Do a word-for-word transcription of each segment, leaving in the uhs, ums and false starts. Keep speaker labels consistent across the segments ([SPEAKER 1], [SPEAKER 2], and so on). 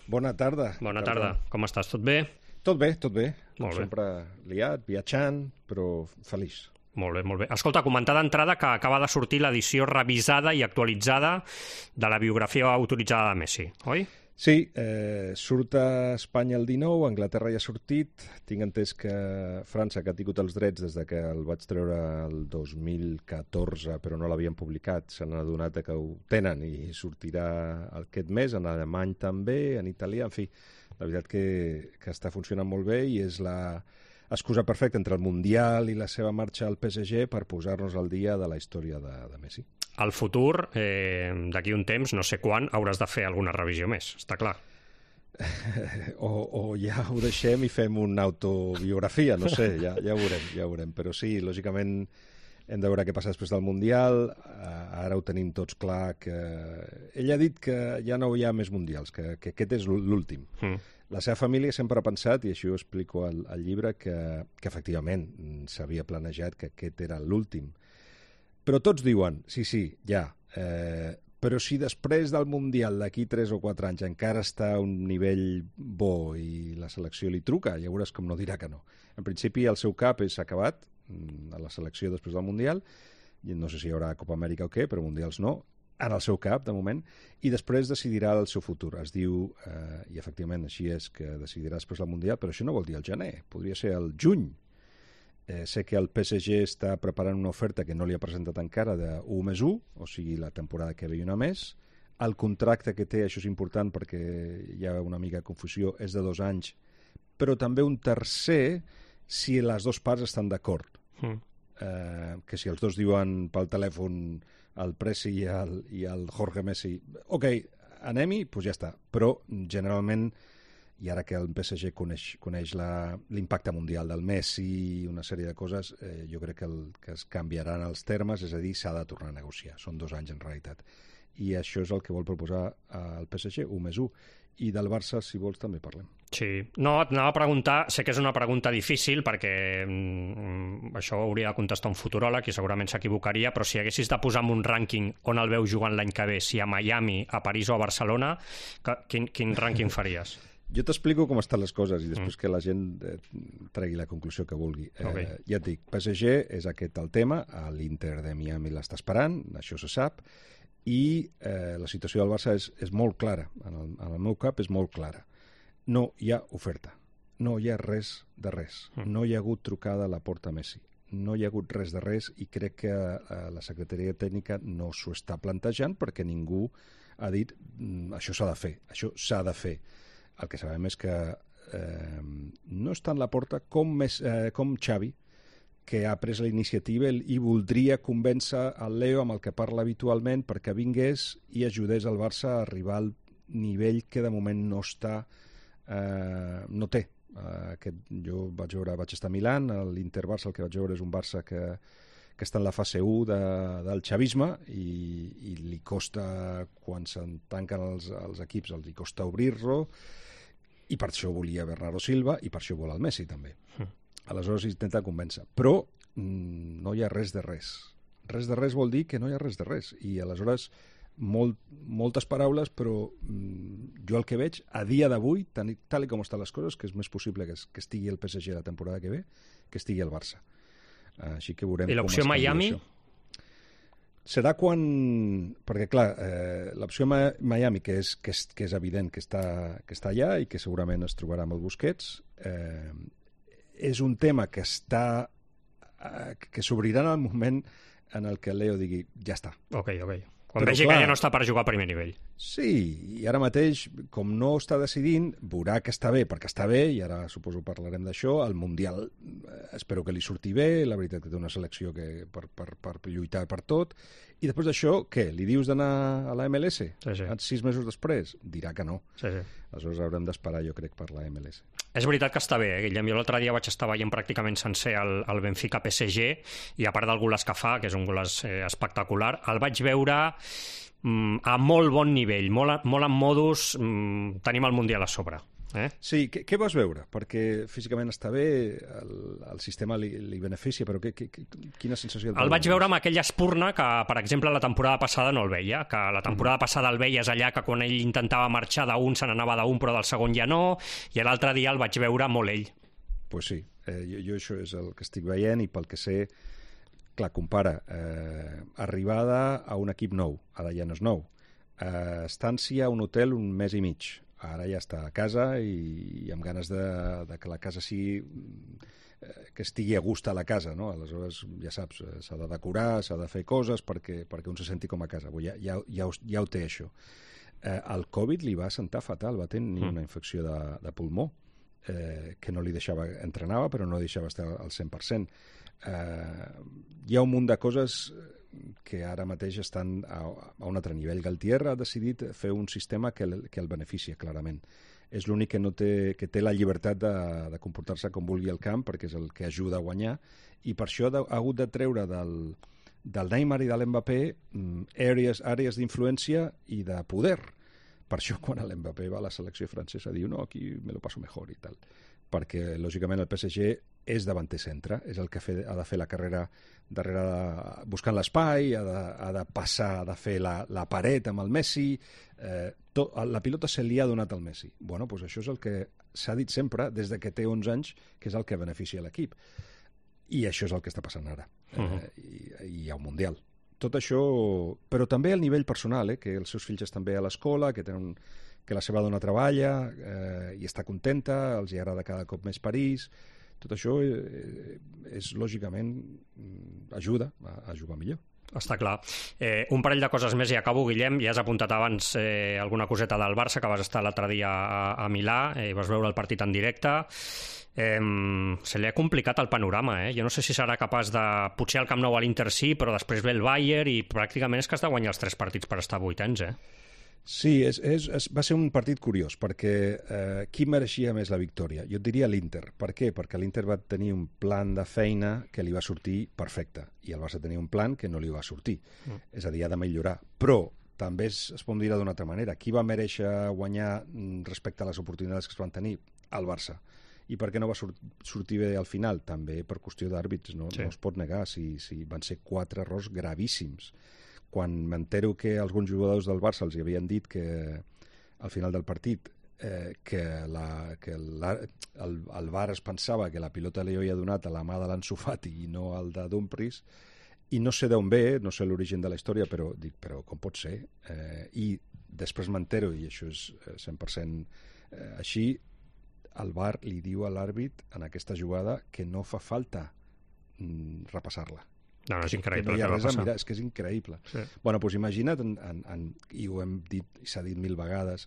[SPEAKER 1] Bona tarda.
[SPEAKER 2] Bona tarda. Com estàs? Tot bé?
[SPEAKER 1] Tot bé, tot bé.
[SPEAKER 2] Molt bé.
[SPEAKER 1] Sempre liat, viatjant, però feliç.
[SPEAKER 2] Molt bé, molt bé. Escolta, comentar d'entrada que acaba de sortir l'edició revisada i actualitzada de la biografia autoritzada de Messi, oi?
[SPEAKER 1] Sí, eh, surt a Espanya el dinou, a Anglaterra ja ha sortit. Tinc entès que França, que ha tingut els drets des de que el vaig treure el dos mil catorze, però no l'havien publicat, s'han adonat que ho tenen i sortirà aquest mes, en alemany també, en italià, en fi. La veritat que, que està funcionant molt bé i és la excusa perfecta entre el Mundial i la seva marxa al P S G per posar-nos al dia de la història de, de Messi.
[SPEAKER 2] Al futur, eh, d'aquí un temps, no sé quan, hauràs de fer alguna revisió més, està clar.
[SPEAKER 1] o, o ja ho deixem i fem una autobiografia, no sé, ja, ja ho veurem, ja ho veurem. Però sí, lògicament hem de veure què passa després del Mundial. Ara ho tenim tots clar que... Ell ha dit que ja no hi ha més Mundials, que, que aquest és l'últim. Mm. La seva família sempre ha pensat, i així ho explico al, al llibre, que, que efectivament s'havia planejat que aquest era l'últim. Però tots diuen, sí, sí, ja, eh, però si després del Mundial d'aquí tres o quatre anys encara està a un nivell bo i la selecció li truca, ja veuràs com no dirà que no. En principi el seu cap és acabat a la selecció després del Mundial, i no sé si hi haurà Copa Amèrica o què, però Mundials no, en el seu cap, de moment, i després decidirà el seu futur. Es diu, eh, i efectivament així és, que decidirà després del Mundial, però això no vol dir el gener, podria ser el juny. Eh, sé que el P S G està preparant una oferta que no li ha presentat encara de u més u, o sigui, la temporada que ve i una més. El contracte que té, això és important perquè hi ha una mica de confusió, és de dos anys, però també un tercer si les dues parts estan d'acord. Mm. Eh, que si els dos diuen pel telèfon el Presi i el, i el Jorge Messi, ok, anem-hi, doncs ja està. Però generalment, i ara que el P S G coneix, coneix l'impacte mundial del Messi i una sèrie de coses, eh, jo crec que, el, que es canviaran els termes, és a dir, s'ha de tornar a negociar. Són dos anys en realitat. I això és el que vol proposar el P S G, u més u. I del Barça, si vols, també parlem.
[SPEAKER 2] Sí. No, et anava a preguntar, sé que és una pregunta difícil perquè mm, això ho hauria de contestar un futuròleg i segurament s'equivocaria, però si haguessis de posar en un rànquing on el veus jugant l'any que ve, si a Miami, a París o a Barcelona, que, quin, quin rànquing faries?
[SPEAKER 1] Jo t'explico com estan les coses i després mm. que la gent eh, tregui la conclusió que vulgui.
[SPEAKER 2] Okay.
[SPEAKER 1] Eh, ja et dic, P S G és aquest el tema, l'Inter de Miami l'està esperant, això se sap, i eh, la situació del Barça és, és molt clara, en el, en el meu cap és molt clara. No hi ha oferta, no hi ha res de res, mm. no hi ha hagut trucada a la porta Messi, no hi ha hagut res de res i crec que eh, la secretaria tècnica no s'ho està plantejant perquè ningú ha dit mm, això s'ha de fer, això s'ha de fer. El que sabem és que eh, no està en la porta com, més, eh, com Xavi, que ha pres la iniciativa i voldria convèncer el Leo amb el que parla habitualment perquè vingués i ajudés el Barça a arribar al nivell que de moment no està, eh, no té. Eh, aquest, jo vaig, veure, vaig estar a Milán, l'Inter-Barça el que vaig veure és un Barça que, que està en la fase u de, del xavisme i, i li costa, quan se'n tanquen els, els equips, els li costa obrir-lo, i per això volia Bernardo Silva i per això vol el Messi també. Mm. Aleshores intenta convèncer. Però mm, no hi ha res de res. Res de res vol dir que no hi ha res de res. I aleshores molt, moltes paraules, però mm, jo el que veig a dia d'avui, tal, tal com estan les coses, que és més possible que, es, que estigui el P S G la temporada que ve, que estigui el Barça. Així que veurem.
[SPEAKER 2] I l'opció Miami?
[SPEAKER 1] Serà quan... Perquè, clar, eh, l'opció Miami, que és, que, és, que és evident que està, que està allà i que segurament es trobarà amb el Busquets, eh, és un tema que està... Eh, que s'obrirà en el moment en el que el Leo digui ja està.
[SPEAKER 2] Ok, ok. Quan Però, vegi clar, que ja no està per jugar a primer nivell.
[SPEAKER 1] Sí, i ara mateix, com no està decidint, veurà que està bé, perquè està bé, i ara suposo parlarem d'això, el Mundial eh, espero que li surti bé, la veritat que té una selecció que per, per, per lluitar per tot, i després d'això, què? Li dius d'anar a la M L S?
[SPEAKER 2] Sí, sí.
[SPEAKER 1] Sis mesos després? Dirà que no.
[SPEAKER 2] Sí, sí.
[SPEAKER 1] Aleshores haurem d'esperar, jo crec, per la M L S.
[SPEAKER 2] És veritat que està bé, eh, Guillem? Jo l'altre dia vaig estar veient pràcticament sencer el, el Benfica P S G i a part del golàs que fa, que és un golàs eh, espectacular, el vaig veure mm, a molt bon nivell, molt, molt en modus, mm, tenim el Mundial a sobre. Eh?
[SPEAKER 1] Sí, què, què vas veure? Perquè físicament està bé, el, el sistema li, li beneficia, però que, que, quina sensació...
[SPEAKER 2] El vaig veure amb aquella espurna que, per exemple, la temporada passada no el veia, que la temporada uh-huh. passada el veies allà que quan ell intentava marxar d'un se n'anava d'un però del segon ja no, i l'altre dia el vaig veure molt ell.
[SPEAKER 1] Doncs pues sí, eh, jo, jo això és el que estic veient i pel que sé, clar, compara eh, arribada a un equip nou, ara ja no és nou, eh, estància a un hotel un mes i mig, ara ja està a casa i, i amb ganes de, de que la casa sigui, eh, que estigui a gust a la casa, no? Aleshores, ja saps, eh, s'ha de decorar, s'ha de fer coses perquè, perquè un se senti com a casa. Ja, ja, ja, ho, ja ho té, això. Eh, el Covid li va sentar fatal, va tenir una infecció de, de pulmó, eh, que no li deixava, entrenava, però no deixava estar al cent per cent. Eh, hi ha un munt de coses que ara mateix estan a, a un altre nivell. Galtier ha decidit fer un sistema que el, que el beneficia, clarament. És l'únic que, no té, que té la llibertat de, de comportar-se com vulgui al camp, perquè és el que ajuda a guanyar, i per això ha hagut de treure del, del Neymar i de l'Mbappé àrees, àrees d'influència i de poder. Per això quan l'Mbappé va a la selecció francesa diu no, aquí me lo paso mejor i tal. Perquè, lògicament, el P S G és davanter centre, és el que fe, ha de fer la carrera darrere, de, buscant l'espai, ha, de, ha de passar, ha de fer la, la paret amb el Messi, eh, tot, la pilota se li ha donat al Messi. Bueno, doncs això és el que s'ha dit sempre, des de que té onze anys, que és el que beneficia l'equip. I això és el que està passant ara. Uh-huh. eh, i, I hi ha un Mundial. Tot això, però també al nivell personal, eh, que els seus fills estan bé a l'escola, que tenen que la seva dona treballa eh, i està contenta, els hi agrada cada cop més París. Tot això eh, és, lògicament, ajuda a, a jugar millor.
[SPEAKER 2] Està clar. Eh, un parell de coses més i acabo, Guillem. Ja has apuntat abans eh, alguna coseta del Barça, que vas estar l'altre dia a, a Milà, eh, vas veure el partit en directe. Eh, se li ha complicat el panorama, eh? Jo no sé si serà capaç de... Potser al Camp Nou a l'Inter sí, però després ve el Bayern i pràcticament és que has de guanyar els tres partits per estar vuitens, eh?
[SPEAKER 1] Sí, és, és, és, va ser un partit curiós, perquè eh, qui mereixia més la victòria? Jo et diria l'Inter. Per què? Perquè l'Inter va tenir un plan de feina que li va sortir perfecte, i el Barça tenia un plan que no li va sortir. Mm. És a dir, ha de millorar. Però també es, es pot dir d'una altra manera. Qui va mereixer guanyar respecte a les oportunitats que es van tenir? El Barça. I per què no va sur- sortir bé al final? També per qüestió d'àrbits, no, sí. No es pot negar, si, si van ser quatre errors gravíssims. Quan m'entero que alguns jugadors del Barça els havien dit que al final del partit eh, que, la, que la, el, el V A R es pensava que la pilota li havia donat a la mà de l'Ansu Fati i no al de Dumfries, i no sé d'on ve, no sé l'origen de la història, però dic, però com pot ser? Eh, I després m'entero, i això és cent per cent eh, així, el V A R li diu a l'àrbit en aquesta jugada que no fa falta mm, repassar-la.
[SPEAKER 2] No, no, és increïble.
[SPEAKER 1] Que no hi ha res a mirar, és que és increïble. Sí. Bueno, doncs imagina't, en, en, en, i ho hem dit, i s'ha dit mil vegades,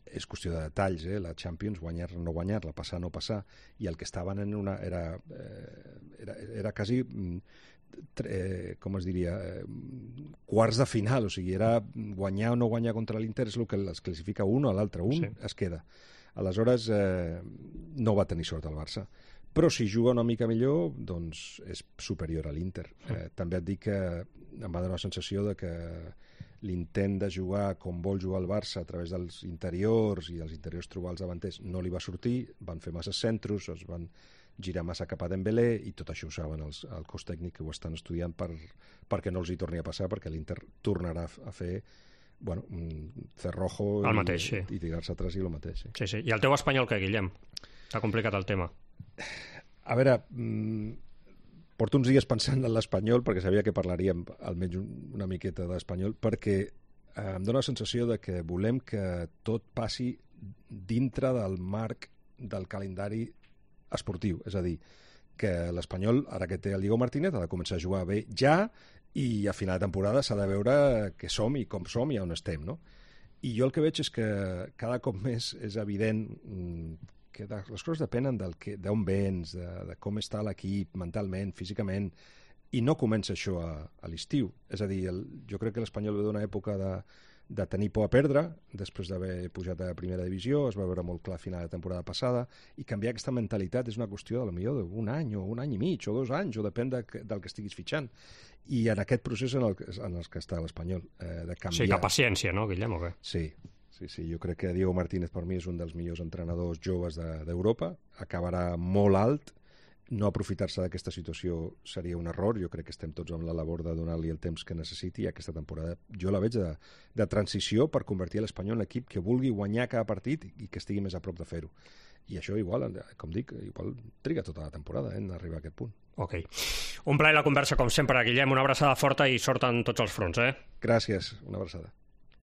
[SPEAKER 1] és qüestió de detalls, eh? La Champions, guanyar o no guanyar-la, passar o no passar, i el que estaven en una... era, eh, era, era quasi, eh, com es diria, eh, quarts de final, o sigui, era guanyar o no guanyar contra l'Inter, és el que es classifica un o l'altre, un sí. Es queda. Aleshores, eh, no va tenir sort el Barça. Però si juga una mica millor, doncs és superior a l'Inter. Eh, també et dic que em va donar la sensació de que l'intent de jugar com vol jugar el Barça a través dels interiors i dels interiors trobar els davanters no li va sortir, van fer massa centros, es van girar massa cap a Dembélé i tot això ho saben els, el cos tècnic que ho estan estudiant per, perquè no els hi torni a passar, perquè l'Inter tornarà a fer bueno, un cerrojo
[SPEAKER 2] el
[SPEAKER 1] i,
[SPEAKER 2] mateix, sí.
[SPEAKER 1] I tirar-se atrás i el mateix. Sí.
[SPEAKER 2] Sí, sí. I el teu espanyol què, Guillem? T'ha complicat el tema.
[SPEAKER 1] A veure, mmm, porto uns dies pensant en l'espanyol perquè sabia que parlaríem almenys una miqueta d'espanyol, perquè eh, em dóna la sensació de que volem que tot passi dintre del marc del calendari esportiu, és a dir, que l'Espanyol, ara que té el Diego Martínez, ha de començar a jugar bé ja i a final de temporada s'ha de veure què som i com som i on estem, no? I jo el que veig és que cada cop més és evident que les coses depenen del que, d'on vens, de, de com està l'equip mentalment, físicament, i no comença això a, a l'estiu. És a dir, el, jo crec que l'Espanyol ve d'una època de, de tenir por a perdre, després d'haver pujat a primera divisió, es va veure molt clar a final de temporada passada, i canviar aquesta mentalitat és una qüestió de potser d'un any, o un any i mig, o dos anys, o depèn de, del que estiguis fitxant. I en aquest procés en el, en el que està l'Espanyol, eh, de canviar...
[SPEAKER 2] Sí, que paciència, no, Guillem, o què?
[SPEAKER 1] Sí, sí, sí, jo crec que Diego Martínez per mi és un dels millors entrenadors joves d'Europa, de, acabarà molt alt, no aprofitar-se d'aquesta situació seria un error. Jo crec que estem tots amb la labor de donar-li el temps que necessiti, i aquesta temporada jo la veig de, de transició per convertir l'Espanyol en l'equip que vulgui guanyar cada partit i que estigui més a prop de fer-ho. I això igual, com dic, igual triga tota la temporada eh, en arribar a aquest punt.
[SPEAKER 2] Ok. Un plaer la conversa, com sempre, Guillem. Una abraçada forta i sort en tots els fronts, eh?
[SPEAKER 1] Gràcies, una abraçada.